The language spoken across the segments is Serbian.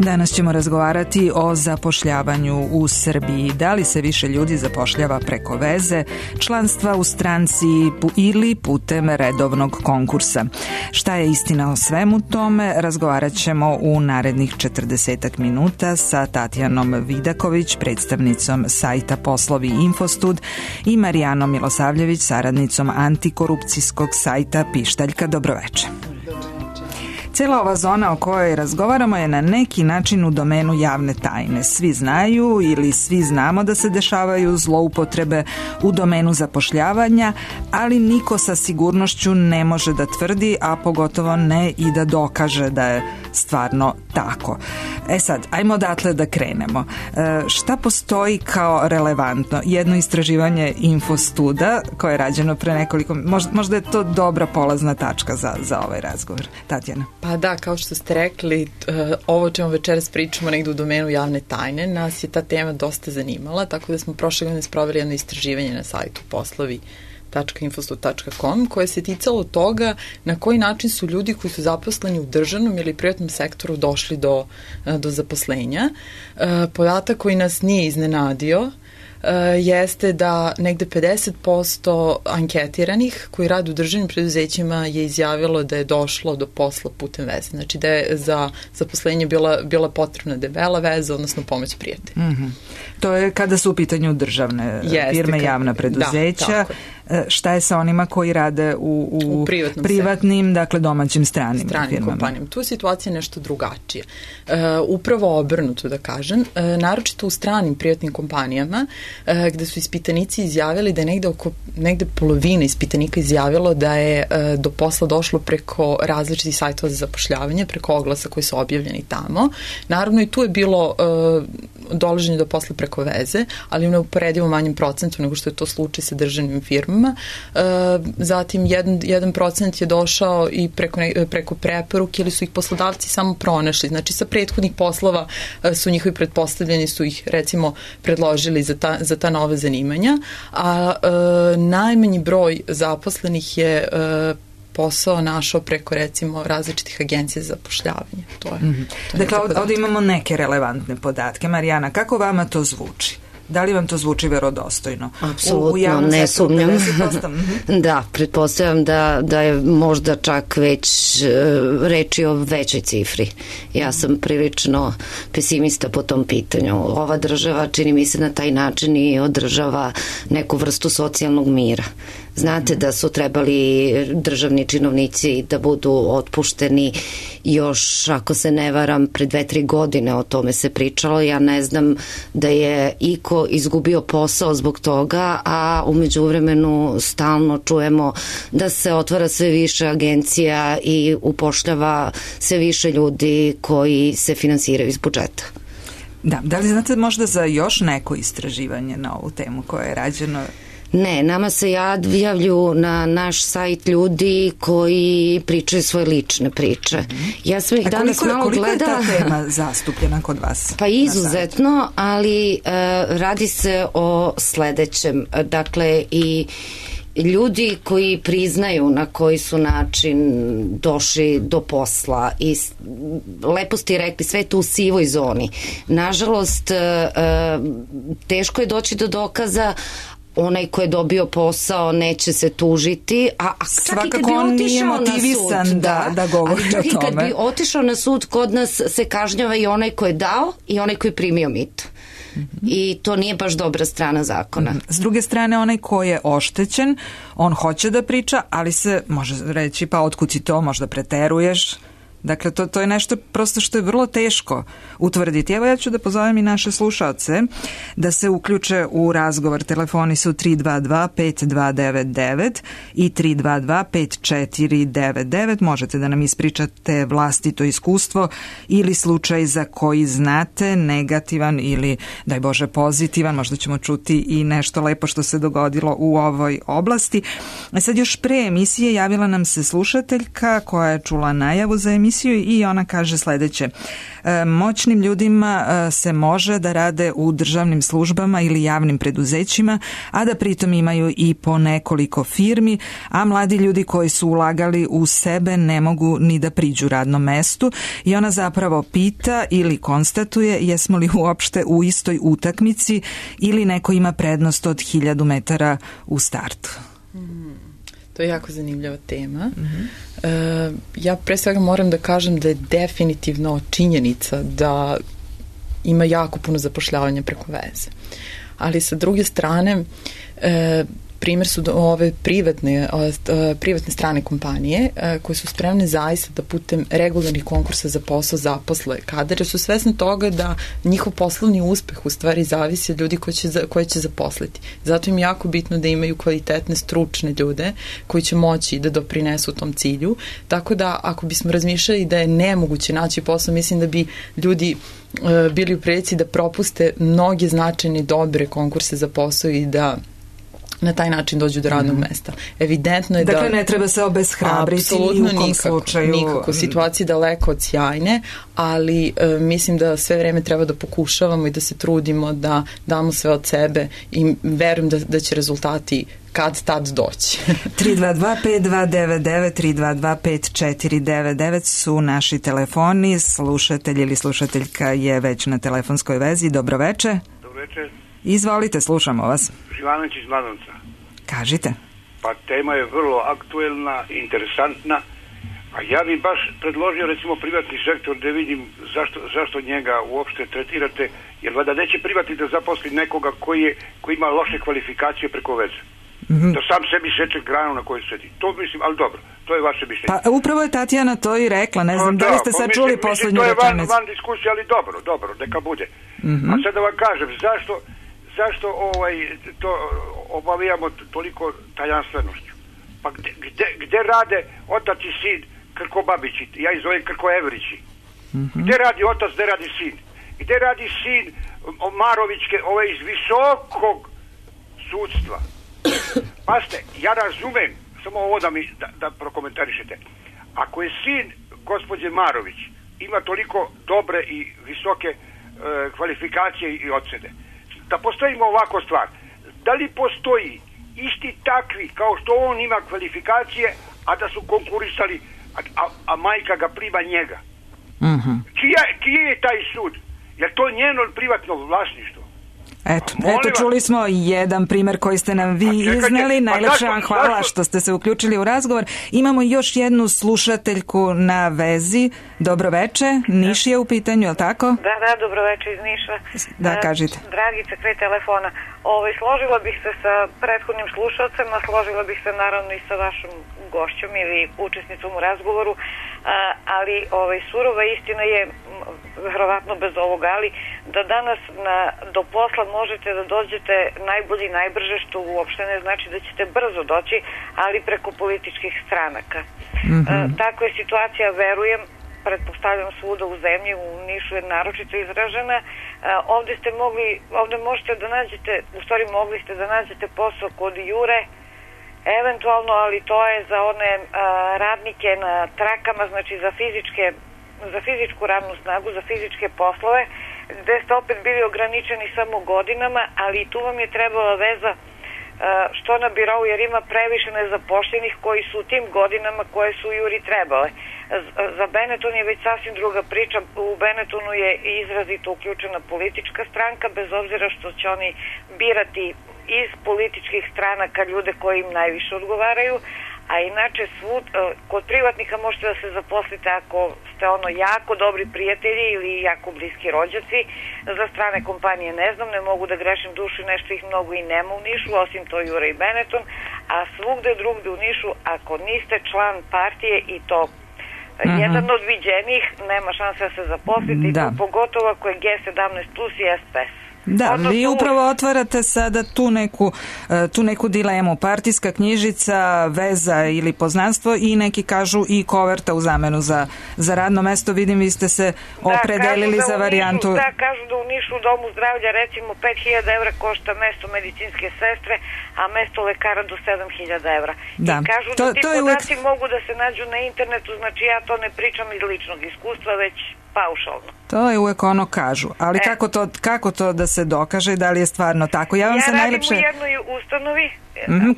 Danas ćemo razgovarati o zapošljavanju u Srbiji. Da li se više ljudi zapošljava preko veze, članstva u stranci ili putem redovnog konkursa? Šta je istina o svemu tome? Razgovarat ćemo u narednih 40 minuta sa Tatjanom Vidaković, predstavnicom sajta Poslovi Infostud, i Marijanom Milosavljević, saradnicom antikorupcijskog sajta Pištaljka. Dobroveče. Cijela ova zona o kojoj razgovaramo je na neki način u domenu javne tajne. Svi znaju ili svi znamo da se dešavaju zloupotrebe u domenu zapošljavanja, ali niko sa sigurnošću ne može da tvrdi, a pogotovo ne i da dokaže da je stvarno tako. Sad, ajmo odatle da krenemo. Šta postoji kao relevantno? Jedno istraživanje Infostuda koje je rađeno pre nekoliko... Možda je to dobra polazna tačka za ovaj razgovor. Tatjana. Pa da, kao što ste rekli, ovo čemu večeras pričamo negde u domenu javne tajne, nas je ta tema dosta zanimala, tako da smo prošle godine sproveli jedno istraživanje na sajtu poslovi.infostud.com koje se ticalo toga na koji način su ljudi koji su zaposleni u državnom ili privatnom sektoru došli do zaposlenja. Podatak koji nas nije iznenadio jeste da negde 50% anketiranih koji rade u državnim preduzećima je izjavilo da je došlo do posla putem veze. Znači da je za zaposlenje bila potrebna debela veza, odnosno pomoć prijatelja. Mm-hmm. To je kada su u pitanju državne firme, javna preduzeća. Da, šta je sa onima koji rade u privatnim, dakle domaćim stranim kompanijama? Tu je situacija nešto drugačija. Upravo obrnuto da kažem, naročito u stranim privatnim kompanijama gde su ispitanici izjavili da je negde polovina ispitanika izjavilo da je do posla došlo preko različitih sajtova za zapošljavanje, preko oglasa koji su objavljeni tamo. Naravno i tu je bilo dolaženje do posla preko veze, ali u neuporedivo manjem procentu nego što je to slučaj sa državnim firmama. Zatim 1% je došao i preko preporuke ili su ih poslodavci samo pronašli. Znači sa prethodnih poslova su njihovi pretpostavljeni, su ih recimo predložili za ta nova zanimanja, a najmanji broj zaposlenih je posao našao preko recimo različitih agencija za zapošljavanje. Dakle, ovdje imamo neke relevantne podatke. Marijana, kako vama to zvuči? Da li vam to zvuči verodostojno? Apsolutno, ne sumnjam. Da, pretpostavljam da je možda čak već reči o većoj cifri. Ja sam prilično pesimista po tom pitanju. Ova država, čini mi se, na taj način i održava neku vrstu socijalnog mira. Znate da su trebali državni činovnici da budu otpušteni još, ako se ne varam, pre 2-3 godine o tome se pričalo. Ja ne znam da je iko izgubio posao zbog toga, a u međuvremenu stalno čujemo da se otvara sve više agencija i upošljava sve više ljudi koji se finansiraju iz budžeta. Da li znate možda za još neko istraživanje na ovu temu koje je rađeno? Ne, nama se javljaju na naš sajt ljudi koji pričaju svoje lične priče. Ja sam ih danas malo gledala. Koliko je ta tema zastupljena kod vas? Pa izuzetno, ali radi se o sledećem. Dakle, i ljudi koji priznaju na koji su način došli do posla i lepo ste rekli, sve to u sivoj zoni. Nažalost, teško je doći do dokaza. Onaj ko je dobio posao neće se tužiti, a čak i kad bi otišao na sud, da govori o tome. Ali čak i kad bi otišao na sud, kod nas se kažnjava i onaj ko je dao i onaj ko je primio mito. I to nije baš dobra strana zakona. S druge strane, onaj ko je oštećen, on hoće da priča, ali se može reći, pa otkud si to, možda preteruješ. Dakle, to je nešto prosto što je vrlo teško utvrditi. Evo ja ću da pozovem i naše slušaoce da se uključe u razgovor. Telefoni su 322-5299 i 322-5499. Možete da nam ispričate vlastito iskustvo ili slučaj za koji znate, negativan ili, daj Bože, pozitivan. Možda ćemo čuti i nešto lepo što se dogodilo u ovoj oblasti. Sad još pre emisije javila nam se slušateljka koja je čula najavu za emisiju emisiju i ona kaže sledeće. Moćnim ljudima se može da rade u državnim službama ili javnim preduzećima, a da pritom imaju i po nekoliko firmi, a mladi ljudi koji su ulagali u sebe ne mogu ni da priđu radnom mestu i ona zapravo pita ili konstatuje jesmo li uopšte u istoj utakmici ili neko ima prednost od 1000 metara u startu. To je jako zanimljiva tema. Ja pre svega moram da kažem da je definitivno činjenica da ima jako puno zapošljavanja preko veze. Ali sa druge strane, primjer su ove privatne strane kompanije koje su spremne zaista da putem regularnih konkursa za posao zaposle kadre, su svesne toga da njihov poslovni uspeh u stvari zavisi od ljudi koje će zaposliti. Zato im je jako bitno da imaju kvalitetne, stručne ljude koji će moći da doprinesu tom cilju. Tako da ako bismo razmišljali da je nemoguće naći posao, mislim da bi ljudi bili u prilici da propuste mnoge značajne dobre konkurse za posao i da na taj način dođu do radnog mesta. Evidentno je dakle, ne treba se obeshrabriti i u kom slučaju. Nikako. Situacija je daleko od sjajne, ali mislim da sve vreme treba da pokušavamo i da se trudimo da damo sve od sebe i verujem da će rezultati kad tad doći. 322-5299, 322-5499 su naši telefoni. Slušatelj ili slušateljka je već na telefonskoj vezi. Dobroveče. Dobroveče. Izvolite, slušamo vas. Živanović iz Mladenca. Kažite. Pa tema je vrlo aktuelna, interesantna, a ja bih baš predložio recimo privatni sektor da vidim zašto njega uopšte tretirate, jer vada neće privatni da zaposli nekoga koji ima loše kvalifikacije preko veze. Da sam sebi seče granu na kojoj sedi. To mislim, ali dobro, to je vaše mišljenje. Pa upravo je Tatjana to i rekla, ne znam, da li ste sad čuli poslednju rečenicu? To je van diskusije, ali dobro, neka bude. A sad da vam kažem, zašto to obavijamo toliko tajanstvenošću? Pa gde rade otac i sin Krkobabići, ja ih zovem Krkoevrići? Gde radi otac, gde radi sin? Gde radi sin Marovićke, iz visokog sudstva? Paste, ja razumem, samo ovo da prokomentarišete. Ako je sin gospođe Marović ima toliko dobre i visoke kvalifikacije i ocene, da postavimo ovako stvar. Da li postoji isti takvi kao što on ima kvalifikacije, a da su konkurisali, a majka ga prima njega? Čije je taj sud? Je to njeno privatno vlasništvo? Eto, čuli smo jedan primer koji ste nam vi izneli. Najlepše vam hvala što ste se uključili u razgovor. Imamo još jednu slušateljku na vezi. Dobroveče, Niš je u pitanju, je li tako? Da, dobroveče iz Niša. Da, kažite. Dragica, kraj telefona. Složila bih se sa prethodnim slušalcem, a složila bih se naravno i sa vašom gošćom ili učesnicom u razgovoru, ali surova istina je, verovatno bez ovoga, ali da danas do posla možete da dođete najbolji, najbrže, što uopšte ne znači da ćete brzo doći, ali preko političkih stranaka. Takva je situacija, verujem, pretpostavljam svuda u zemlji, u Nišu je naročito izražena. Ovde možete da nađete, u stvari mogli ste da nađete posao kod Jure, eventualno, ali to je za one radnike na trakama, znači za fizičku radnu snagu, za fizičke poslove, gde ste opet bili ograničeni samo godinama, ali i tu vam je trebala veza što na birou, jer ima previše nezapošljenih koji su u tim godinama koje su Juri trebale. Za Benetton je već sasvim druga priča. U Benettonu je izrazito uključena politička stranka, bez obzira što će oni birati iz političkih stranaka ljude koji im najviše odgovaraju, a inače kod privatnika možete da se zaposlite ako ste jako dobri prijatelji ili jako bliski rođaci. Za strane kompanije ne znam, ne mogu da grešim dušu, nešto ih mnogo i nema u Nišu, osim to Jura i Benetton, a svugde drugde u Nišu, ako niste član partije i to jedan od viđenih, nema šanse da se zaposlite, i to pogotovo ako je G17 plus i SPS. Da, vi upravo otvarate sada tu neku dilemu. Partijska knjižica, veza ili poznanstvo i neki kažu i koverta u zamenu za radno mesto. Vidim, vi ste se opredelili za varijantu. Da, kažu da u Nišu u domu zdravlja recimo 5.000 evra košta mesto medicinske sestre, a mesto lekara do 7.000 evra. Da. I kažu da ti podaci mogu da se nađu na internetu, znači ja to ne pričam iz ličnog iskustva, već paušalno. To je uvek ono kažu, ali kako to da se dokaže, da li je stvarno tako? Ja radim u jednoj ustanovi,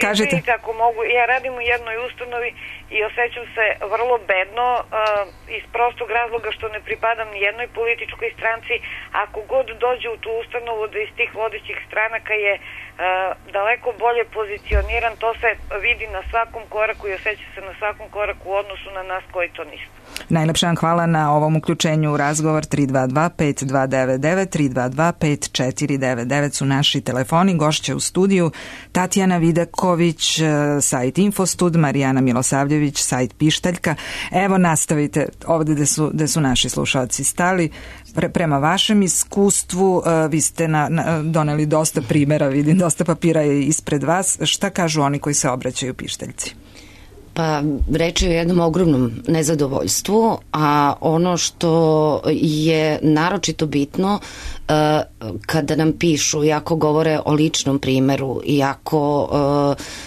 kažite. Ako mogu, ja radim u jednoj ustanovi i osjećam se vrlo bedno iz prostog razloga što ne pripadam ni jednoj političkoj stranci. Ako god dođe u tu ustanovu da iz tih vodećih stranaka je daleko bolje pozicioniran, to se vidi na svakom koraku i osjeća se na svakom koraku u odnosu na nas koji to nismo. Najlepša vam hvala na ovom uključenju u razgovor. 322-5299, 322-5499 su naši telefoni. Gošće u studiju Tatjana Vidaković, sajt Infostud, Marijana Milosavljević, sajt Pištaljka. Evo, nastavite ovde gde su naši slušalci stali. Prema vašem iskustvu, vi ste doneli dosta primjera, vidim, dosta papira je ispred vas. Šta kažu oni koji se obraćaju Pištaljci? Pa reč je o jednom ogromnom nezadovoljstvu, a ono što je naročito bitno kada nam pišu, iako govore o ličnom primeru, iako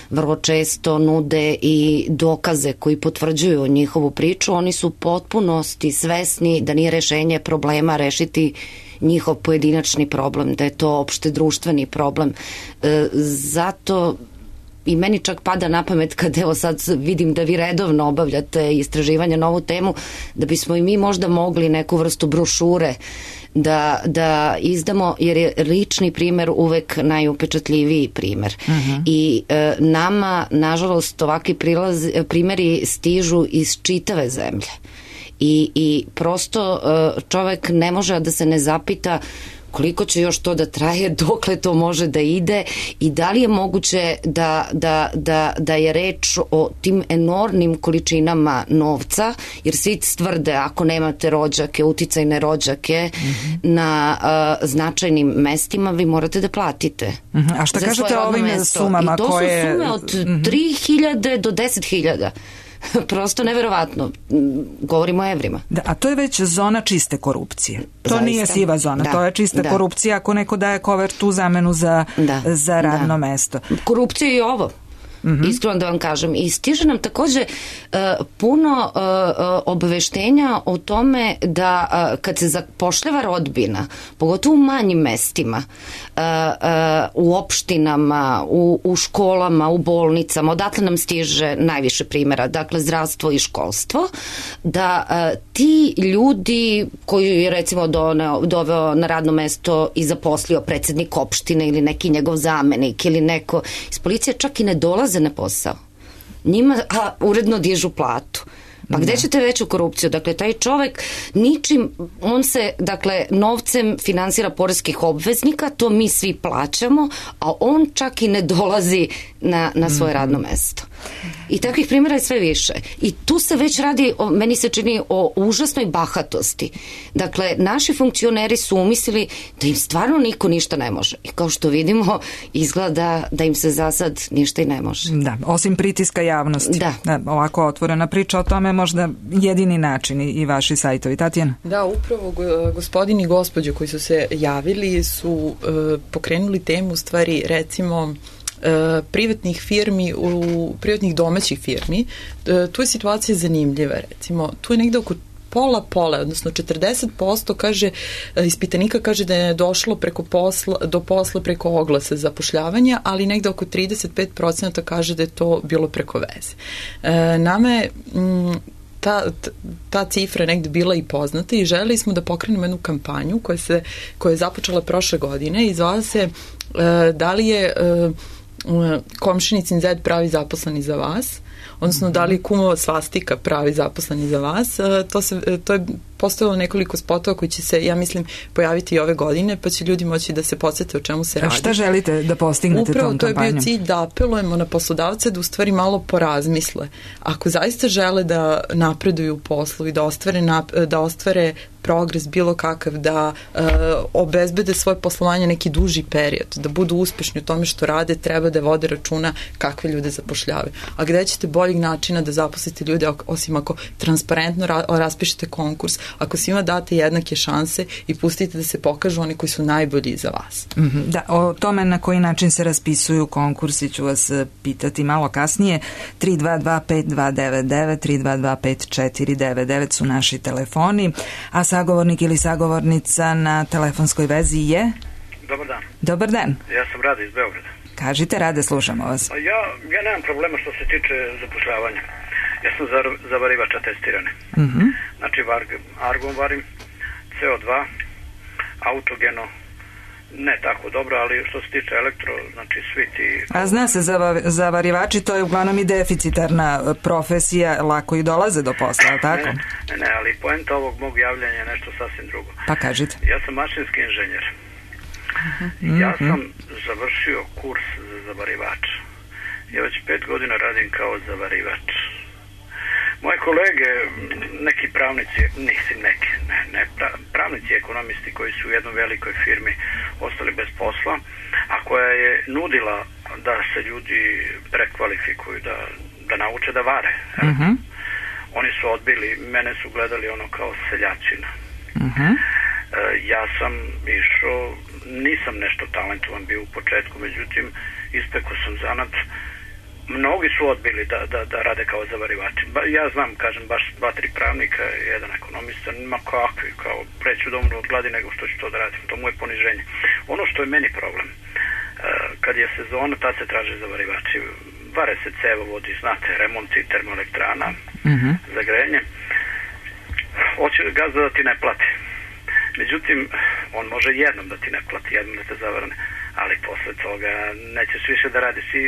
vrlo često nude i dokaze koji potvrđuju njihovu priču, oni su u potpunosti svesni da nije rešenje problema rešiti njihov pojedinačni problem, da je to opšte društveni problem. Zato i meni čak pada na pamet kad evo sad vidim da vi redovno obavljate istraživanja na ovu temu, da bismo i mi možda mogli neku vrstu brošure da izdamo, jer je lični primer uvek najupečatljiviji primer. I nama, nažalost, ovakvi primeri stižu iz čitave zemlje. I prosto čovek ne može da se ne zapita koliko će još to da traje, dokle to može da ide i da li je moguće da je reč o tim enormnim količinama novca, jer svi tvrde ako nemate rođake, uticajne rođake na značajnim mestima, vi morate da platite. A šta kažete o ovim sumama? I to su sume od 3.000 do 10.000. Prosto neverovatno. Govorimo o evrima. Da, a to je već zona čiste korupcije. To nije siva zona, to je čista korupcija ako neko daje kovertu u zamenu za radno mesto. Korupcija je i ovo. Iskreno da vam kažem. I stiže nam takođe puno obaveštenja o tome da kad se zapošljava rodbina, pogotovo u manjim mestima, u opštinama, u školama, u bolnicama, odatle nam stiže najviše primjera, dakle zdravstvo i školstvo, da ti ljudi koji je recimo doveo na radno mesto i zaposlio predsednik opštine ili neki njegov zamenik ili neko iz policije, čak i ne dolaze na posao. Njima uredno dižu platu. Pa gde ćete veću korupciju? Dakle, taj čovek ničim, on se, dakle, novcem finansira poreskih obveznika, to mi svi plaćamo, a on čak i ne dolazi na svoje radno mesto. I takvih primjera je sve više. I tu se već radi, meni se čini, o užasnoj bahatosti. Dakle, naši funkcioneri su umislili da im stvarno niko ništa ne može. I kao što vidimo, izgleda da im se za sad ništa i ne može. Da, osim pritiska javnosti. Da, ovako otvorena priča o tome možda jedini način i vaši sajtovi. Tatjana? Da, upravo gospodin i gospođe koji su se javili su pokrenuli temu, u stvari, recimo privatnih firmi, privatnih domaćih firmi. Tu je situacija zanimljiva, recimo. Tu je negde oko pola, odnosno 40% kaže, ispitanika kaže da je došlo do posla preko oglasa zapošljavanja, ali negde oko 35% kaže da je to bilo preko veze. Nama je ta cifra negde bila i poznata i želeli smo da pokrenemo jednu kampanju koja je započela prošle godine i zvala se da li je komšinicin zed pravi zaposleni za vas, odnosno da li je kumova svastika pravi zaposleni za vas. To je postavilo nekoliko spotova koji će se, ja mislim, pojaviti i ove godine, pa će ljudi moći da se podsjete o čemu se radi. A šta želite da postignete tom kampanjom? Upravo to je bio cilj da apelujemo na poslodavce da u stvari malo porazmisle. Ako zaista žele da napreduju u poslu i da ostvare progres bilo kakav, da obezbede svoje poslovanje neki duži period, da budu uspešni u tome što rade, treba da vode računa kakve ljude zapošljavaju. A gde ćete boljeg načina da zaposlite ljude osim ako transparentno raspišete konkurs, ako svima date jednake šanse i pustite da se pokažu oni koji su najbolji za vas. Da, o tome na koji način se raspisuju konkursi ću vas pitati malo kasnije. 322-5299, 322-5499 su naši telefoni, a sagovornik ili sagovornica na telefonskoj vezi je? Dobar dan. Dobar dan. Ja sam Rade iz Beograda. Kažite, Rade, slušamo vas. Ja nemam problema što se tiče zapošljavanja. Ja sam zavarivača testirane. Znači, argon varim, CO2, autogeno, ne tako dobro, ali što se tiče elektro, znači svi ti... A zna se, zavarivači, to je uglavnom i deficitarna profesija, lako i dolaze do posla, ali tako? Ne, ali poenta ovog mog javljanja je nešto sasvim drugo. Pa kažite. Ja sam mašinski inženjer. Ja sam završio kurs za zavarivača. Ja već 5 godina radim kao zavarivač. Moje kolege, neki pravnici, pravnici i ekonomisti koji su u jednoj velikoj firmi ostali bez posla, a koja je nudila da se ljudi prekvalifikuju, da nauče da vare. Oni su odbili, mene su gledali ono kao seljačina. Ja sam išao, nisam nešto talentovan bio u početku, međutim, ispekao sam zanat. Mnogi su odbili da rade kao zavarivači. Ja znam, kažem, baš 2-3 pravnika, jedan ekonomista, ma kakvi, kao preću da umru od gladi nego što ću to da radim. To mu je poniženje. Ono što je meni problem, kad je sezona, tad se traže zavarivači. Vare se cevovodi, znate, remonti termoelektrana, za grejanje. Hoće gazda da ti ne plati. Međutim, on može jednom da ti ne plati, jednom da te zavrne, ali posle toga nećeš više da radiš i...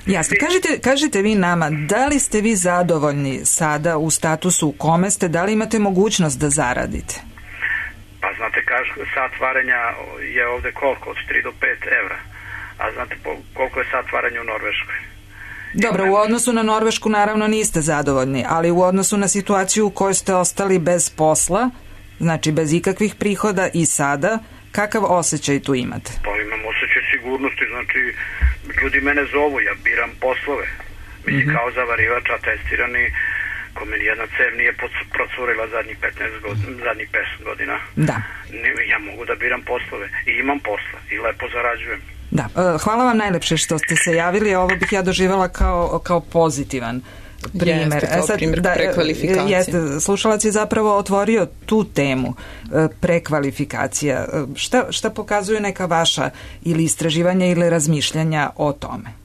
Jasno. Kažite vi nama, da li ste vi zadovoljni sada u statusu u kome ste, da li imate mogućnost da zaradite? Pa znate, sat varenja je ovde koliko? Od 3 do 5 evra. A znate koliko je sat varenja u Norveškoj? Dobro, u odnosu na Norvešku naravno niste zadovoljni, ali u odnosu na situaciju u kojoj ste ostali bez posla, znači bez ikakvih prihoda i sada, kakav osjećaj tu imate? Pa imam osjećaj sigurnosti, znači ljudi mene zovu, ja biram poslove. Mislim, kao zavarivač, a testirani, ko meni jedna cev nije procurila zadnjih 5 godina. Da. Ja mogu da biram poslove i imam posla i lepo zarađujem. Da, hvala vam najlepše što ste se javili, ovo bih ja doživjela kao pozitivan primer. Primer prekvalifikacije. Slušalac je zapravo otvorio tu temu prekvalifikacija. Šta pokazuje neka vaša ili istraživanja ili razmišljanja o tome?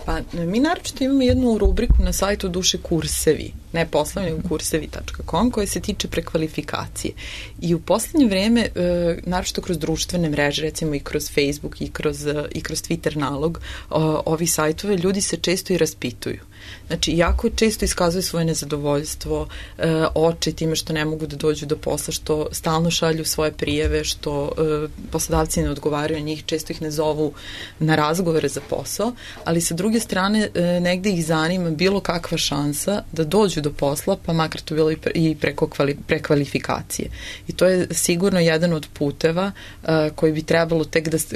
Pa mi naročito imamo jednu rubriku na sajtu Duše kursevi, ne poslovni, kursevi.com, koja se tiče prekvalifikacije. I u poslednje vreme, naročito kroz društvene mreže, recimo i kroz Facebook i kroz Twitter nalog, ovi sajtove, ljudi se često i raspituju. Znači, jako često iskazuju svoje nezadovoljstvo, oče time što ne mogu da dođu do posla, što stalno šalju svoje prijave, što poslodavci ne odgovaraju na njih, često ih ne zovu na razgovore za posao, ali sa druge strane negde ih zanima bilo kakva šansa da dođu do posla, pa makar to bilo i preko prekvalifikacije. I to je sigurno jedan od puteva koji bi trebalo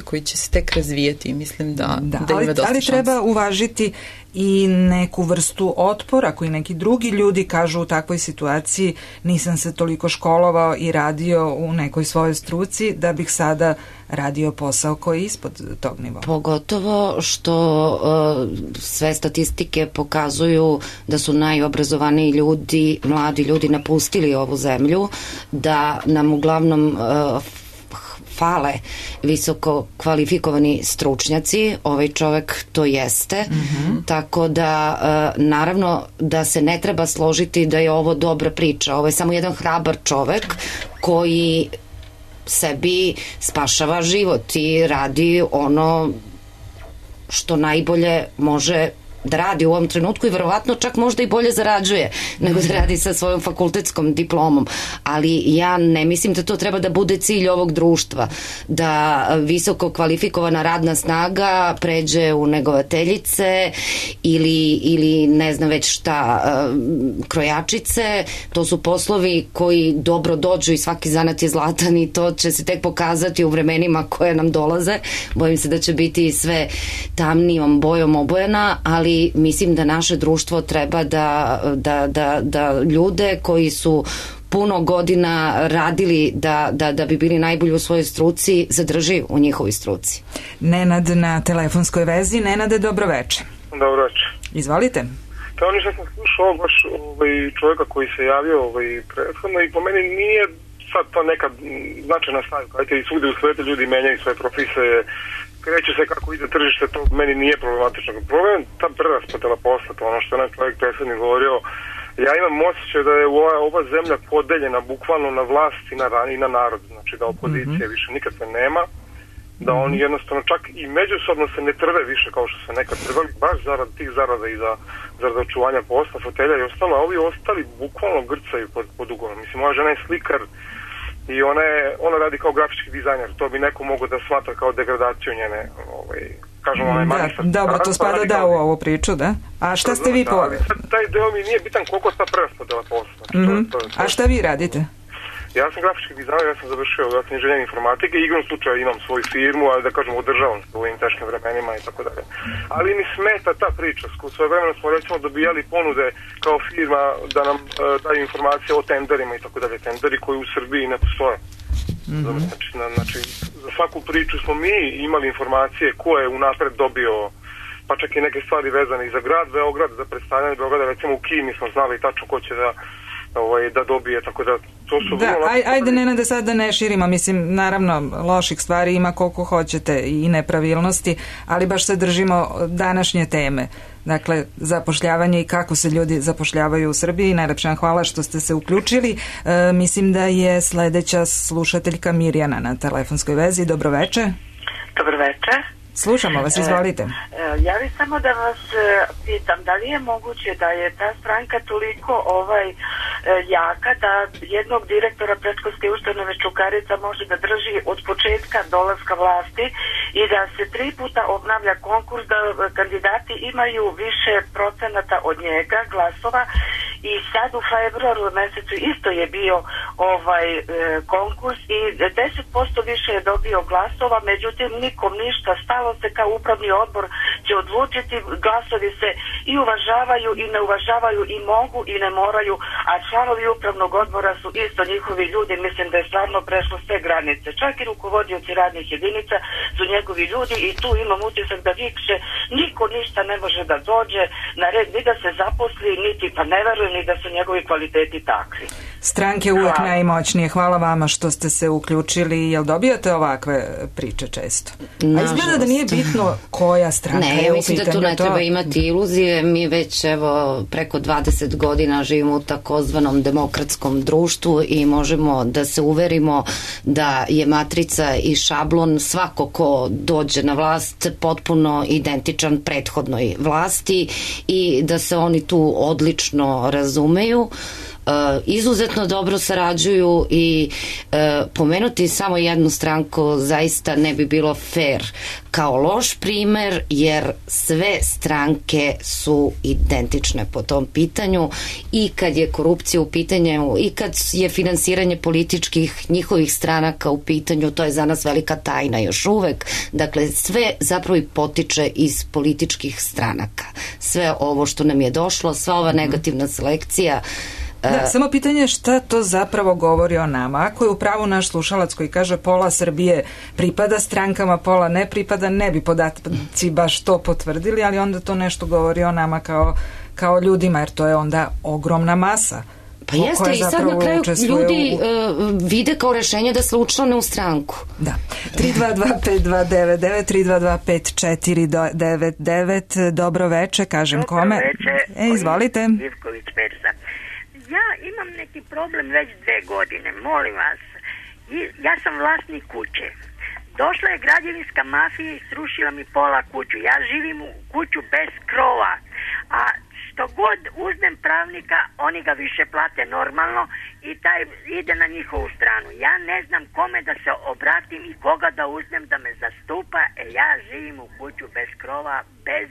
koji će se tek razvijeti i mislim da ima dosta šansa. Ali treba uvažiti i neku vrstu otpora koji neki drugi ljudi kažu u takvoj situaciji nisam se toliko školovao i radio u nekoj svojoj struci da bih sada radio posao koji je ispod tog nivoa. Pogotovo što sve statistike pokazuju da su najobrazovaniji ljudi, mladi ljudi napustili ovu zemlju, da nam uglavnom fale visoko kvalifikovani stručnjaci, ovaj čovek to jeste, tako da naravno da se ne treba složiti da je ovo dobra priča, ovo je samo jedan hrabar čovek koji sebi spašava život i radi ono što najbolje može da radi u ovom trenutku i verovatno čak možda i bolje zarađuje nego da radi sa svojom fakultetskom diplomom. Ali ja ne mislim da to treba da bude cilj ovog društva, da visoko kvalifikovana radna snaga pređe u negovateljice ili ne znam već šta, krojačice. To su poslovi koji dobro dođu i svaki zanat je zlatan i to će se tek pokazati u vremenima koje nam dolaze. Bojim se da će biti sve tamnijom bojom obojena, ali mislim da naše društvo treba da ljude koji su puno godina radili da bi bili najbolji u svojoj struci zadrži u njihovoj struci. Nenad na telefonskoj vezi. Nenade, dobroveče. Dobroveče. Izvolite. Kao ništa sam slušao baš čovjeka koji se javio prethodno i po meni nije sad to neka značajna stavka. Ajte, i svugdje u svijetu ljudi menjaju svoje profesije, kreće se kako ide tržište, to meni nije problematično. Problem je ta preraspodela posla, to ono što je čovjek prethodni govorio. Ja imam osjećaj da je ova zemlja podeljena bukvalno na vlast i na narod. Znači da opozicije više nikakve nema, da oni jednostavno čak i međusobno se ne trve više kao što se nekad trvali, baš zarad tih zarada i zarad očuvanja posla, fotelja i ostalo, a ovi ostali bukvalno grcaju pod ugovom. Mislim, moja žena je slikar i ona radi kao grafički dizajner, to bi neko mogao da smatra kao degradaciju njene, kažemo, dobro, to spada u ovu priču, da? A šta ste vi poveli? Taj deo mi nije bitan koliko ta preraspodela posla. A šta vi radite? Ja sam grafički dizajner, ja sam završio inženjer informatike i igrom slučaja imam svoju firmu, ali da kažem održavam se u ovim teškim vremenima i tako dalje. Ali mi smeta ta priča. Svoje vremena smo recimo dobijali ponude kao firma da nam daju informacije o tenderima i tako dalje. Tenderi koji u Srbiji ne postoje. Znači, za svaku priču smo mi imali informacije ko je unapred dobio, pa čak i neke stvari vezane i za grad Beograd, za predstavljanje Beograda, recimo u Kini smo znali tačno ko će da dobije, tako da to su... Da, ajde Nenade sad da ne širimo, mislim, naravno loših stvari ima koliko hoćete i nepravilnosti, ali baš se držimo današnje teme. Dakle, zapošljavanje i kako se ljudi zapošljavaju u Srbiji. Najlepša vam hvala što ste se uključili. Mislim da je sledeća slušateljka Mirjana na telefonskoj vezi. Dobroveče. Dobroveče. Slušamo vas, izvolite. Ja bih samo da vas pitam, da li je moguće da je ta stranka toliko jaka da jednog direktora predškolske ustanove Čukarica može da drži od početka dolaska vlasti i da se 3 puta obnavlja konkurs, da kandidati imaju više procenata od njega, glasova, i sad u februaru mesecu isto je bio konkurs i 10% više je dobio glasova, međutim nikom ništa, stalo se kao upravni odbor će odlučiti, glasovi se i uvažavaju i ne uvažavaju i mogu i ne moraju, a članovi upravnog odbora su isto njihovi ljudi, mislim da je stvarno prešlo sve granice, čak i rukovodioci radnih jedinica su njegovi ljudi i tu imam utisak da više niko ništa ne može da dođe na red, ni da se zaposli, niti pa ne verujem ni da su njegovi kvaliteti takvi. Stranke uvek najmoćnije. Hvala vama što ste se uključili. Jel dobijate ovakve priče često? A izgleda da nije bitno koja stranka je u pitanju. Ne, mislim da tu ne treba imati iluzije. Mi već preko 20 godina živimo u takozvanom demokratskom društvu i možemo da se uverimo da je matrica i šablon svako ko dođe na vlast potpuno identičan prethodnoj vlasti i da se oni tu odlično razumeju, izuzetno dobro sarađuju i pomenuti samo jednu stranku zaista ne bi bilo fair kao loš primer, jer sve stranke su identične po tom pitanju i kad je korupcija u pitanju i kad je finansiranje političkih njihovih stranaka u pitanju, to je za nas velika tajna još uvek. Dakle, sve zapravo i potiče iz političkih stranaka. Sve ovo što nam je došlo, sva ova negativna selekcija. Da, samo pitanje je šta to zapravo govori o nama. Ako je u pravu naš slušalac koji kaže pola Srbije pripada strankama, pola ne pripada, ne bi podaci baš to potvrdili, ali onda to nešto govori o nama kao ljudima, jer to je onda ogromna masa. Pa jeste, i sad na kraju ljudi vide kao rešenje da se učlane u stranku. Da. 322-5299, 322-5499, dobro veče, kažem kome. Izvolite. Ivković Berza. Ja imam neki problem već 2 godine, molim vas. Ja sam vlasnik kuće. Došla je građevinska mafija i srušila mi pola kuću. Ja živim u kuću bez krova, a što god uzmem pravnika, oni ga više plate normalno i taj ide na njihovu stranu. Ja ne znam kome da se obratim i koga da uzmem da me zastupa, ja živim u kuću bez krova, bez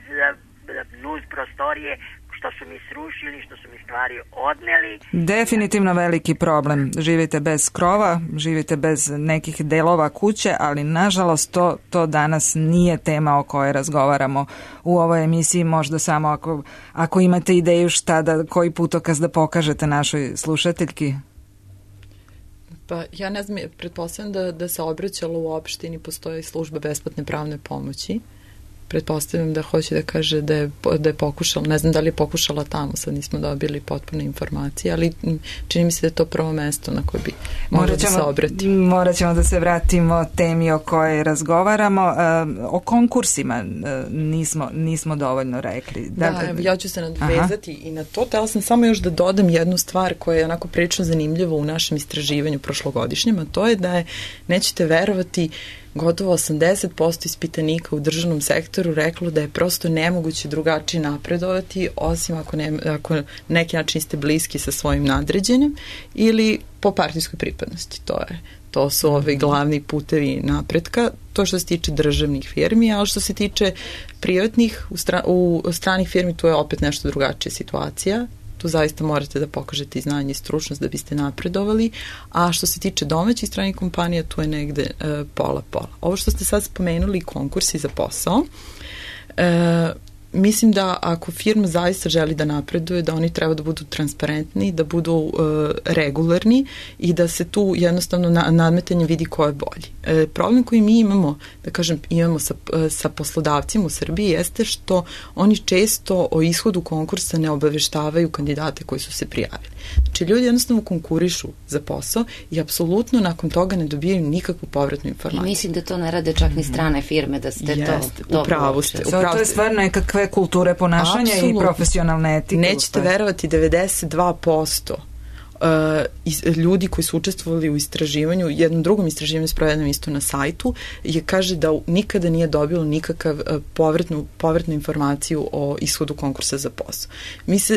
nuz prostorije, što su mi srušili, što su mi stvari odneli. Definitivno veliki problem. Živite bez krova, živite bez nekih delova kuće, ali nažalost to danas nije tema o kojoj razgovaramo u ovoj emisiji. Možda samo ako imate ideju koji putokaz da pokažete našoj slušateljki. Pa ja ne znam, pretpostavljam da se obraćalo u opštini, postoji služba besplatne pravne pomoći. Pretpostavljam da hoće da kaže da je pokušala, ne znam da li je pokušala tamo, sad nismo dobili potpune informacije, ali čini mi se da je to prvo mesto na koje bi mogla da se obrati. Morat ćemo da se vratimo temi o kojoj razgovaramo. O konkursima nismo dovoljno rekli. Ja ću se nadvezati i na to. Htela sam samo još da dodam jednu stvar koja je onako prilično zanimljiva u našem istraživanju prošlogodišnjem, a to je da je, nećete verovati, gotovo 80% ispitanika u državnom sektoru reklo da je prosto nemoguće drugačije napredovati, osim ako neki način ste bliski sa svojim nadređenim ili po partijskoj pripadnosti. To su ovi glavni putevi napretka, to što se tiče državnih firmi, ali što se tiče privatnih, u stranih firmi tu je opet nešto drugačija situacija. Tu zaista morate da pokažete i znanje i stručnost da biste napredovali, a što se tiče domaćih stranih kompanija, tu je negde pola-pola. Ovo što ste sad spomenuli, konkursi za posao, mislim da ako firma zaista želi da napreduje, da oni treba da budu transparentni, da budu regularni i da se tu jednostavno nadmetanje vidi ko je bolji. Problem koji mi imamo, da kažem, imamo sa poslodavcima u Srbiji jeste što oni često o ishodu konkursa ne obaveštavaju kandidate koji su se prijavili. Znači, ljudi jednostavno konkurišu za posao i apsolutno nakon toga ne dobijaju nikakvu povratnu informaciju. I mislim da to ne rade čak ni strane firme, da ste to... Upravo ste. To je stvarno nekakve kulture ponašanja i profesionalne etike. Nećete verovati, 92% ljudi koji su učestvovali u istraživanju, jednom drugom istraživanju sprovedenom isto na sajtu, kaže da nikada nije dobilo nikakav povratnu informaciju o ishodu konkursa za posao.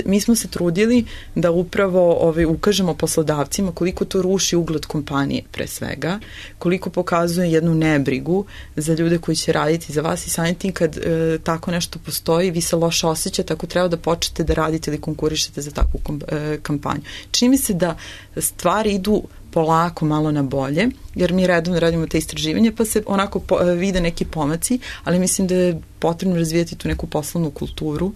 Mi smo se trudili da upravo ukažemo poslodavcima koliko to ruši ugled kompanije pre svega, koliko pokazuje jednu nebrigu za ljude koji će raditi za vas i samim tim kad tako nešto postoji, vi se loše osjećate ako treba da počnete da radite ili konkurišete za takvu kampanju. Čini mi se da stvari idu polako malo na bolje, jer mi redovno radimo te istraživanje, pa se onako vide neki pomaci, ali mislim da je potrebno razvijati tu neku poslovnu kulturu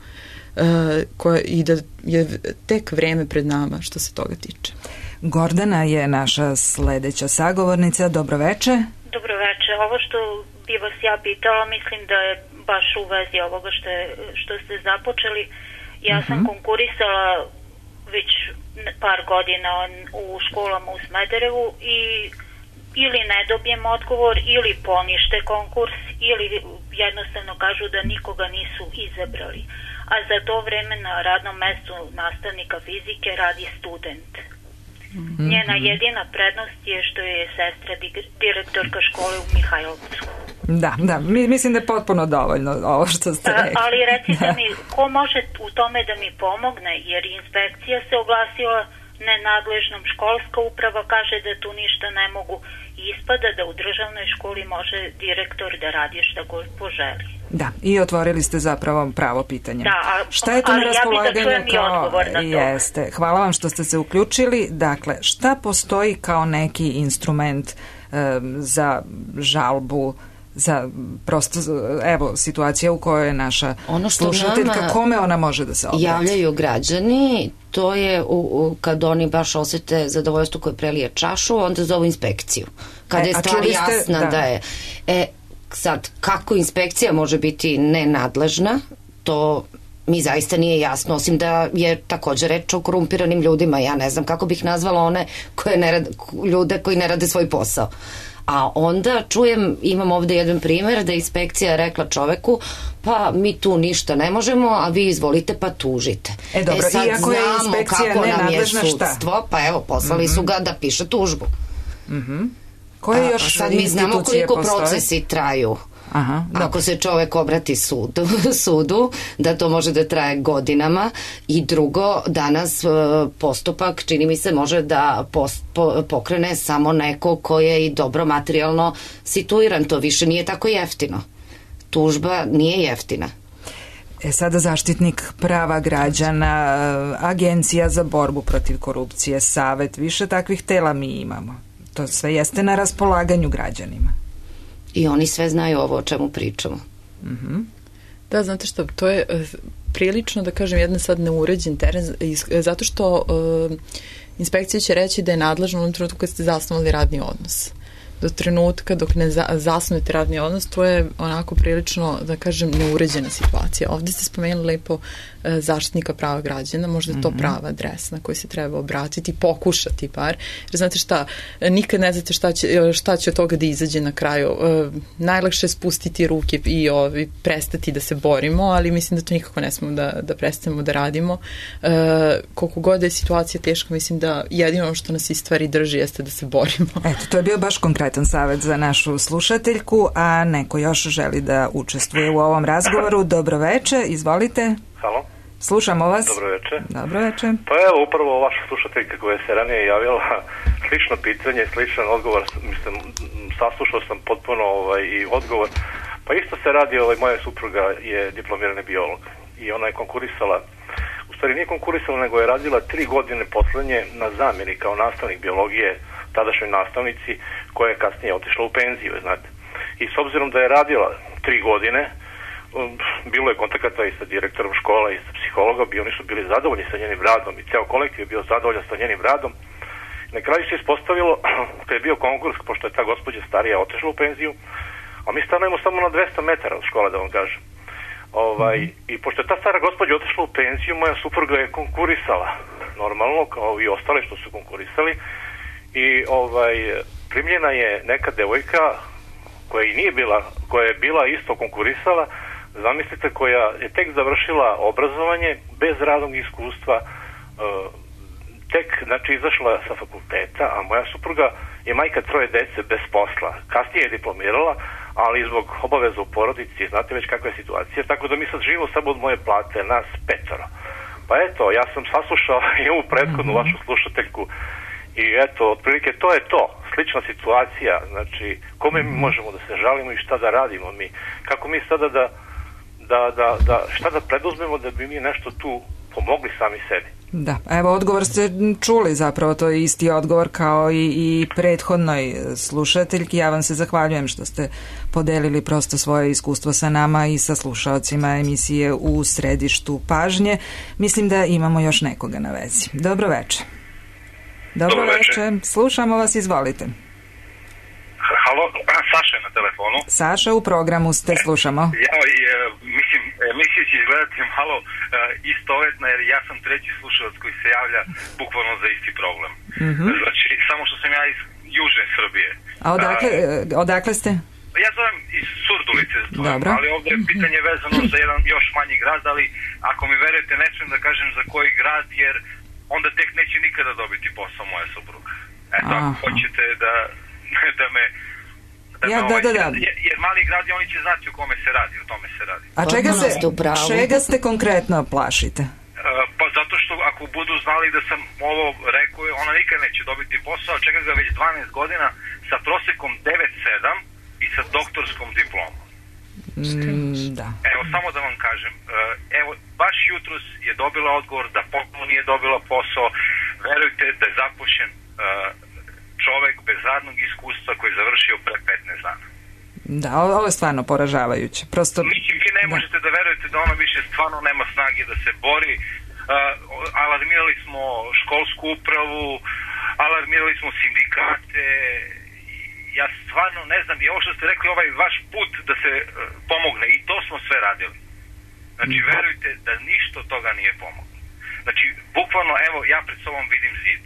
i da je tek vreme pred nama što se toga tiče. Gordana je naša sledeća sagovornica. Dobroveče. Dobroveče. Ovo što bi vas ja pitala, mislim da je baš u vezi ovoga što ste započeli. Ja sam konkurisala već par godina u školama u Smederevu i ili ne dobijem odgovor ili ponište konkurs ili jednostavno kažu da nikoga nisu izabrali. A za to vreme na radnom mestu nastavnika fizike radi student. Njena jedina prednost je što je sestra direktorka škole u Mihajlovcu. Da, mislim da je potpuno dovoljno ovo što ste rekli. Ali recite mi, ko može u tome da mi pomogne, jer inspekcija se oglasila nenadležnom, školska uprava kaže da tu ništa ne mogu, ispada da u državnoj školi može direktor da radi šta god poželi. Da, i otvorili ste zapravo pravo pitanje. Da, šta je to na raspolaganju? Ja bih da čujem i odgovor na to. Jeste. Hvala vam što ste se uključili. Dakle, šta postoji kao neki instrument za žalbu, za prosto, evo, situacija u kojoj je naša slušateljka, kome ona može da se obrati? Javljaju građani, to je kad oni baš osete zadovoljstvo koje prelije čašu, onda zovu inspekciju. Kada je stvar jasna da je... Sad, kako inspekcija može biti nenadležna, to mi zaista nije jasno, osim da je također reč o korumpiranim ljudima. Ja ne znam kako bih nazvala one ljude koji ne rade svoj posao. A onda čujem, imam ovde jedan primer da je inspekcija rekla čoveku, pa mi tu ništa ne možemo, a vi izvolite pa tužite. Dobro, sad iako je inspekcija nenadležna, šta? Pa evo, poslali su ga da piše tužbu. Koje još sad mi znamo koliko procesi traju. Aha, ako se čovek obrati sudu, da to može da traje godinama. I drugo, danas postupak, čini mi se, može da pokrene samo neko ko je i dobro materijalno situiran. To više nije tako jeftino. Tužba nije jeftina. Sada Zaštitnik prava građana, Agencija za borbu protiv korupcije, Savet, više takvih tela mi imamo. To sve jeste na raspolaganju građanima. I oni sve znaju ovo o čemu pričamo. Da, znate što, to je prilično, da kažem, jedan sad neuređen teren, zato što inspekcija će reći da je nadležna u trenutku kad ste zasnovali radni odnos. Do trenutka dok ne zasnujete radni odnos, to je onako prilično, da kažem, neuređena situacija. Ovdje ste spomenuli lepo Zaštitnika prava građana, možda je to prava adresa na koju se treba obratiti, pokušati bar, jer znate šta, nikad ne znate šta će od toga da izađe na kraju. Najlakše je spustiti ruke i prestati da se borimo, ali mislim da to nikako ne smemo da prestanemo da radimo. Koliko god je situacija teška, mislim da jedino što nas i stvari drži jeste da se borimo. Eto, to je bio baš konkretan savjet za našu slušateljku, a neko još želi da učestvuje u ovom razgovoru. Dobro veče, izvolite. Halo. Slušamo vas. Dobro veče. Dobro veče. Pa evo, upravo vaša slušateljka koja se ranije javila, slično pitanje, sličan odgovor, mislim, saslušao sam potpuno i odgovor. Pa isto se radi, moja supruga je diplomirani biolog i ona je konkurisala, u stvari nije konkurisala, nego je radila 3 godine poslednje na zamjeni kao nastavnik biologije, tadašnjoj nastavnici, koja je kasnije otišla u penziju, znate. I s obzirom da je radila 3 godine, bilo je kontakata i sa direktorom škola i sa psihologom i oni su bili zadovoljni sa njenim radom i ceo kolektiv je bio zadovoljan sa njenim radom. Na kraju se ispostavilo, kad je bio konkurs, pošto je ta gospođa starija otišla u penziju, a mi stanujemo samo na 200 metara od škole, da vam kažem. I pošto je ta stara gospođa otišla u penziju, moja supruga je konkurisala, normalno, kao i ostale što su konkurisali, i primljena je neka devojka koja je bila isto konkurisala, zamislite, koja je tek završila obrazovanje bez radnog iskustva, tek, znači, izašla sa fakulteta, a moja supruga je majka 3 dece bez posla. Kasnije je diplomirala, ali zbog obaveza u porodici, znate već kakva je situacija, tako da mi sad živimo samo od moje plate, nas 5. Pa eto, ja sam saslušao i ovu prethodnu vašu slušateljku i eto, otprilike to je to. Slična situacija, znači, kome mi možemo da se žalimo i šta da radimo mi? Kako mi sada šta da preduzmemo da bi mi nešto tu pomogli sami sebi? Da, evo, odgovor ste čuli, zapravo to je isti odgovor kao i prethodnoj slušateljki. Ja vam se zahvaljujem što ste podelili prosto svoje iskustvo sa nama i sa slušaocima emisije U središtu pažnje. Mislim da imamo još nekoga na vezi. Dobro veče. Dobro veče. Slušamo vas, izvolite. Halo, Saša je na telefonu. Saša, u programu ste, slušamo. Mislim, emisija će izgledati malo istovetna, jer ja sam 3. slušalac koji se javlja bukvalno za isti problem. Znači, samo što sam ja iz južne Srbije. A odakle ste? Ja zovem iz Surdulice, ali ovdje je pitanje vezano za jedan još manji grad, ali ako mi verujete, ne smijem da kažem za koji grad, jer onda tek neće nikada dobiti posao moja supruga. Eto, ako hoćete da me... Jer mali grad, oni će znati o kome se radi, o tome se radi. A čega ste konkretno plašite? Pa zato što ako budu znali da sam ovo rekao, ona nikad neće dobiti posao, čeka ga već 12 godina sa prosekom 9,7 i sa doktorskom diplomom. Da. Evo, samo da vam kažem, evo, baš jutros je dobila odgovor da potpuno nije dobila posao. Verujte da je zapošljen čovek bez radnog iskustva koji je završio pre 15 dana. Da, ovo je stvarno poražavajuće. Prosto... Mislim, vi ne možete da verujete da ona više stvarno nema snage da se bori. Alarmirali smo školsku upravu, alarmirali smo sindikate. Ja stvarno ne znam, i ovo što ste rekli, ovaj vaš put da se pomogne, i to smo sve radili. Znači, verujte da ništa od toga nije pomoglo. Znači, bukvalno, evo, ja pred sobom vidim zid,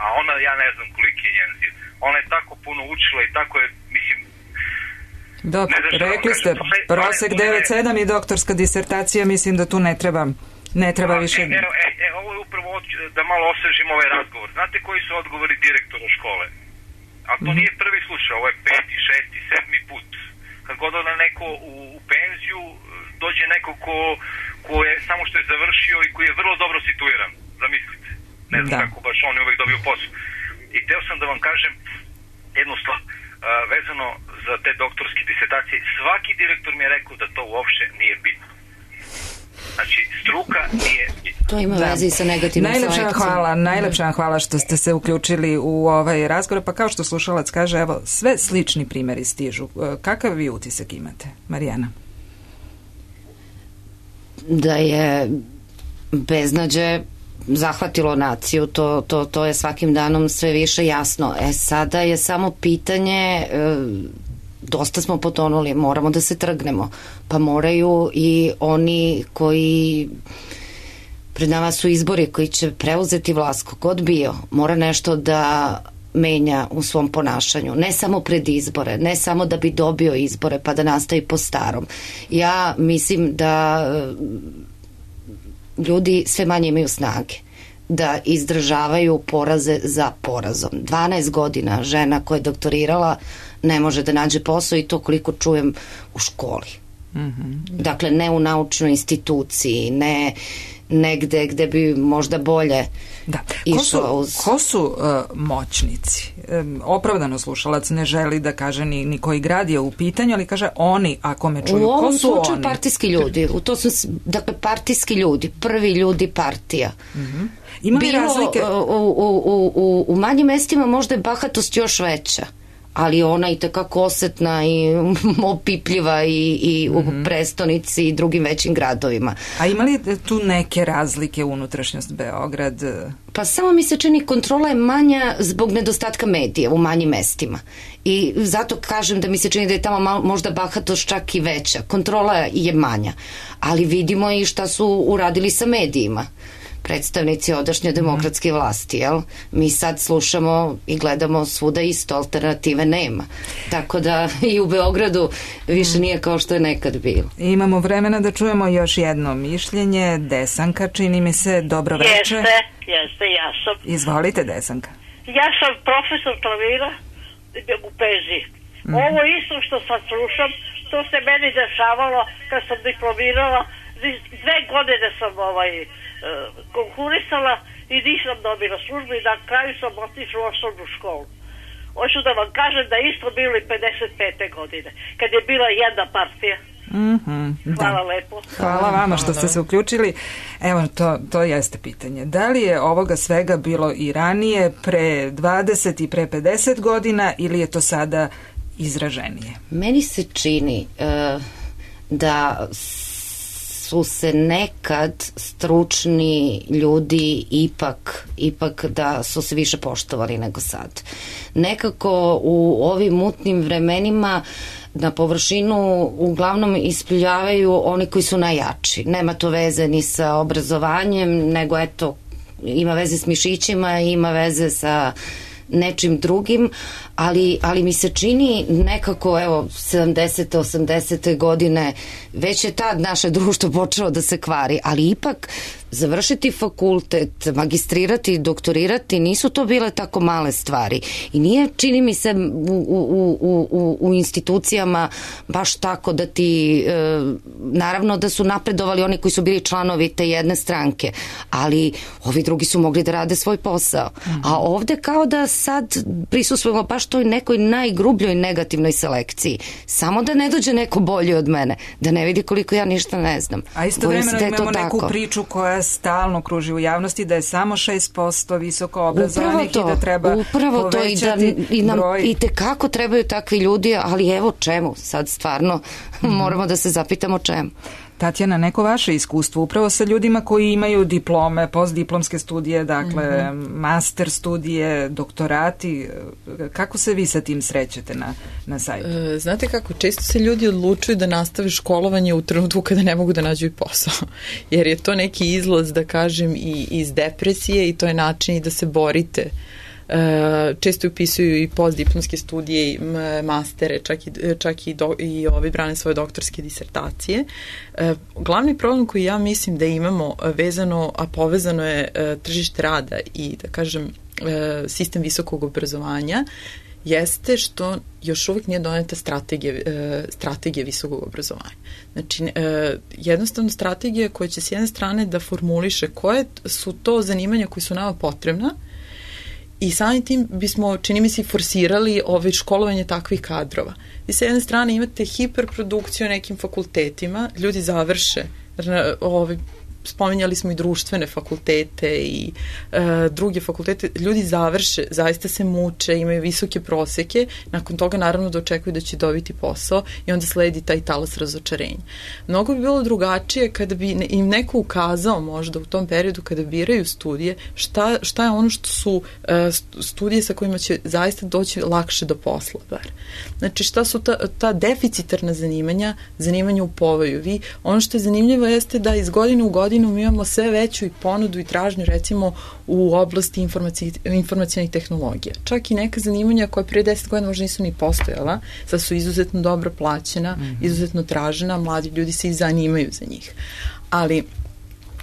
a ona, ja ne znam koliki je njen zid. Ona je tako puno učila i tako je, mislim... Dobro, rekli ste, prosek 9,7 i doktorska disertacija, mislim da tu ne treba više... Ovo je upravo da malo osvežim ovaj razgovor. Znate koji su odgovori direktora škole? A to nije prvi slučaj, ovo je 5., 6., 7. put. Kad god ode neko u penziju, dođe neko ko je samo što je završio i koji je vrlo dobro situiran, zamislite. Ne znam kako baš on je uvek dobio posao. I teo sam da vam kažem jednu stvar, vezano za te doktorske disertacije. Svaki direktor mi je rekao da to uopšte nije bitno. Znači, struka nije bitna. To ima veze sa negativnom selekcijom. Najlepša vam hvala što ste se uključili u ovaj razgovor. Pa kao što slušalac kaže, evo, sve slični primjeri stižu. Kakav vi utisak imate, Marijana? Da je beznađe zahvatilo naciju, to je svakim danom sve više jasno. Sada je samo pitanje, dosta smo potonuli, moramo da se trgnemo, pa moraju i oni koji, pred nama su izbori koji će preuzeti vlast, kogod bio, mora nešto da menja u svom ponašanju, ne samo pred izbore, ne samo da bi dobio izbore pa da nastavi po starom. Ja mislim da ljudi sve manje imaju snage da izdržavaju poraze za porazom. 12 godina žena koja je doktorirala ne može da nađe posao, i to koliko čujem u školi. Dakle, ne u naučnoj instituciji, ne negde gde bi možda bolje išao uz... Ko su moćnici? Opravdano slušalac ne želi da kaže ni koji grad je u pitanju, ali kaže oni, ako me čuju, ko su oni? U ovom slučaju partijski ljudi. Dakle, partijski ljudi, prvi ljudi partija. Ima li razlike? U manjim mestima možda je bahatost još veća, ali ona i takako osetna i opipljiva i u prestonici i drugim većim gradovima. A ima li tu neke razlike u unutrašnjost Beograd? Pa samo mi se čini kontrola je manja zbog nedostatka medija u manjim mestima. I zato kažem da mi se čini da je tamo možda bahatost čak i veća. Kontrola je manja. Ali vidimo i šta su uradili sa medijima predstavnici odašnje demokratske vlasti, jel? Mi sad slušamo i gledamo svuda isto, alternative nema. Tako da i u Beogradu više nije kao što je nekad bilo. Imamo vremena da čujemo još jedno mišljenje. Desanka, čini mi se, dobro večer. Jeste, ja sam. Izvolite, Desanka. Ja sam profesor klavira u penziji. Ovo isto što sad slušam, to se meni dešavalo kad sam diplomirala. 2 godine sam konkurisala i nisam dobila službu i na kraju sam otišla u osnovnu školu. Hoću da vam kažem da isto bilo i 55. godine, kad je bila jedna partija. Hvala lepo. Hvala vama što ste se uključili. Evo, to jeste pitanje. Da li je ovoga svega bilo i ranije, pre 20 i pre 50 godina, ili je to sada izraženije? Meni se čini da su se nekad stručni ljudi ipak da su se više poštovali nego sad. Nekako u ovim mutnim vremenima na površinu uglavnom ispljavaju oni koji su najjači. Nema to veze ni sa obrazovanjem, nego eto, ima veze s mišićima, ima veze sa nečim drugim, ali mi se čini nekako, evo, 70. 80. godine već je tad naše društvo počelo da se kvari, ali ipak završiti fakultet, magistrirati, doktorirati, nisu to bile tako male stvari i nije, čini mi se, u institucijama baš tako da ti, naravno da su napredovali oni koji su bili članovi te jedne stranke, ali ovi drugi su mogli da rade svoj posao. A ovde kao da sad prisustvujemo baš toj nekoj najgrubljoj negativnoj selekciji. Samo da ne dođe neko bolji od mene, da ne vidi koliko ja ništa ne znam. A istovremeno imamo neku priču koja stalno kruži u javnosti da je samo 6% visoko obrazovanih i da treba povećati broj. I tekako trebaju takvi ljudi, ali evo čemu? Sad stvarno moramo da se zapitamo čemu. Tatjana, neko vaše iskustvo upravo sa ljudima koji imaju diplome, postdiplomske studije, dakle master studije, doktorati, kako se vi sa tim srećete na sajtu? Znate kako, često se ljudi odlučuju da nastave školovanje u trenutku kada ne mogu da nađu i posao, jer je to neki izlaz, da kažem, i iz depresije i to je način i da se borite. Često upisuju i postdiplomske studije i mastere, čak i ovi brane svoje doktorske disertacije. Glavni problem koji ja mislim da imamo vezano, a povezano je tržište rada i, da kažem, sistem visokog obrazovanja jeste što još uvijek nije doneta strategija visokog obrazovanja. Znači, jednostavno strategija koja će s jedne strane da formuliše koje su to zanimanja koji su nama potrebna i samim tim bismo, čini mi se, forsirali školovanje takvih kadrova. I sa jedne strane imate hiperprodukciju nekim fakultetima, ljudi završe, spominjali smo i društvene fakultete i druge fakultete, ljudi završe, zaista se muče, imaju visoke proseke, nakon toga naravno da očekuju da će dobiti posao i onda sledi taj talas razočarenja. Mnogo bi bilo drugačije kada bi im neko ukazao možda u tom periodu kada biraju studije, šta je ono što su studije sa kojima će zaista doći lakše do posla bar. Znači šta su ta deficitarna zanimanja u povoju. Ono što je zanimljivo jeste da iz godine u godinu mi imamo sve veću i ponudu i tražnju recimo u oblasti informacionih tehnologija. Čak i neka zanimanja koja prije 10 godina možda nisu ni postojala, sad su izuzetno dobro plaćena, izuzetno tražena, mladi ljudi se i zanimaju za njih. Ali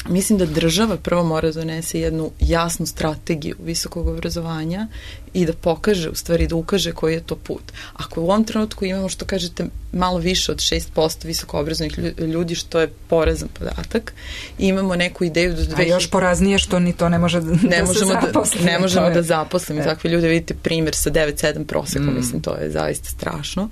mislim da država prvo mora donese jednu jasnu strategiju visokog obrazovanja i da pokaže, u stvari da ukaže koji je to put. Ako u ovom trenutku imamo, što kažete, malo više od 6% visoko obrazovanih ljudi, što je porazan podatak, i imamo neku ideju A još poraznije što ni to ne može da se zaposli. Ne možemo da zaposlimo takve ljude. Vidite primjer sa 9-7 prosekom, mislim, to je zaista strašno.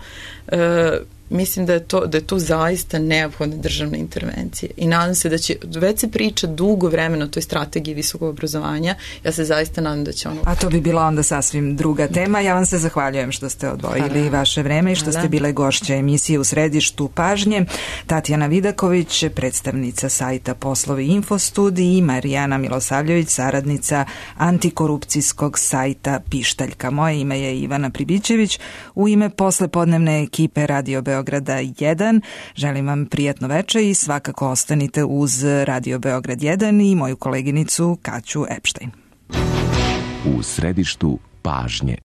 Mislim da je to zaista neophodna državna intervencija i nadam se da će, već se priča dugo vremena o toj strategiji visokog obrazovanja, ja se zaista nadam da će ono... A to bi bila onda sasvim druga tema. Ja vam se zahvaljujem što ste odvojili vaše vreme i što ste bile gošće emisije U središtu pažnje. Tatjana Vidaković, predstavnica sajta Poslovi Infostudiji, i Marijana Milosavljević, saradnica antikorupcijskog sajta Pištaljka. Moje ime je Ivana Pribićević. U ime poslepodnevne ekipe Radio Beograda 1 želim vam prijatno veče i svakako ostanite uz Radio Beograd 1 i moju koleginicu Kaću Epštajn. U središtu pažnje.